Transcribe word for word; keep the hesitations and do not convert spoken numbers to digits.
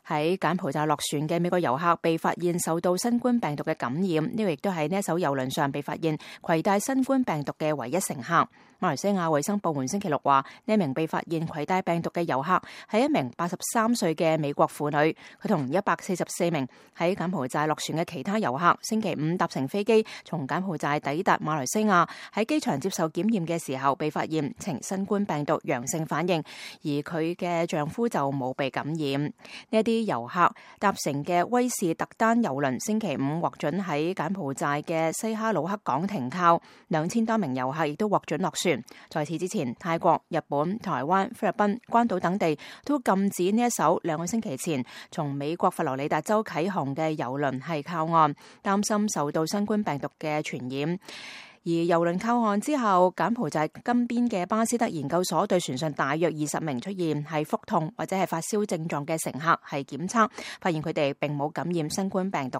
喺柬埔寨落船嘅美國遊客被發現受到新冠病毒嘅感染，呢個亦都係呢一艘郵輪上被發現攜帶新冠病毒嘅唯一乘客。馬來西亞衛生部門星期六話，呢一名被發現攜帶病毒嘅遊客係一名八十三歲嘅美國婦女，佢同一百四十四名喺柬埔寨落船嘅其他遊客星期五搭乘飛機從柬埔寨抵達馬來西亞，喺機場接受檢驗嘅時候被發現呈新冠病毒陽性反應，而佢嘅丈夫就冇被感染。呢一啲遊客搭乘嘅威士特丹郵輪星期五獲准喺柬埔寨嘅西哈努克港停靠，兩千多名遊客亦都獲准落船。在此之前，泰國、日本、台灣、菲律賓、關島等地都禁止呢一艘兩個星期前從美國佛羅里達州啟航嘅郵輪係靠岸，擔心受到新冠病毒嘅傳染。而郵輪靠岸之後，柬埔寨金邊嘅巴斯德研究所對船上大約二十名出現係腹痛或者係發燒症狀嘅乘客係檢測，發現佢哋並冇感染新冠病毒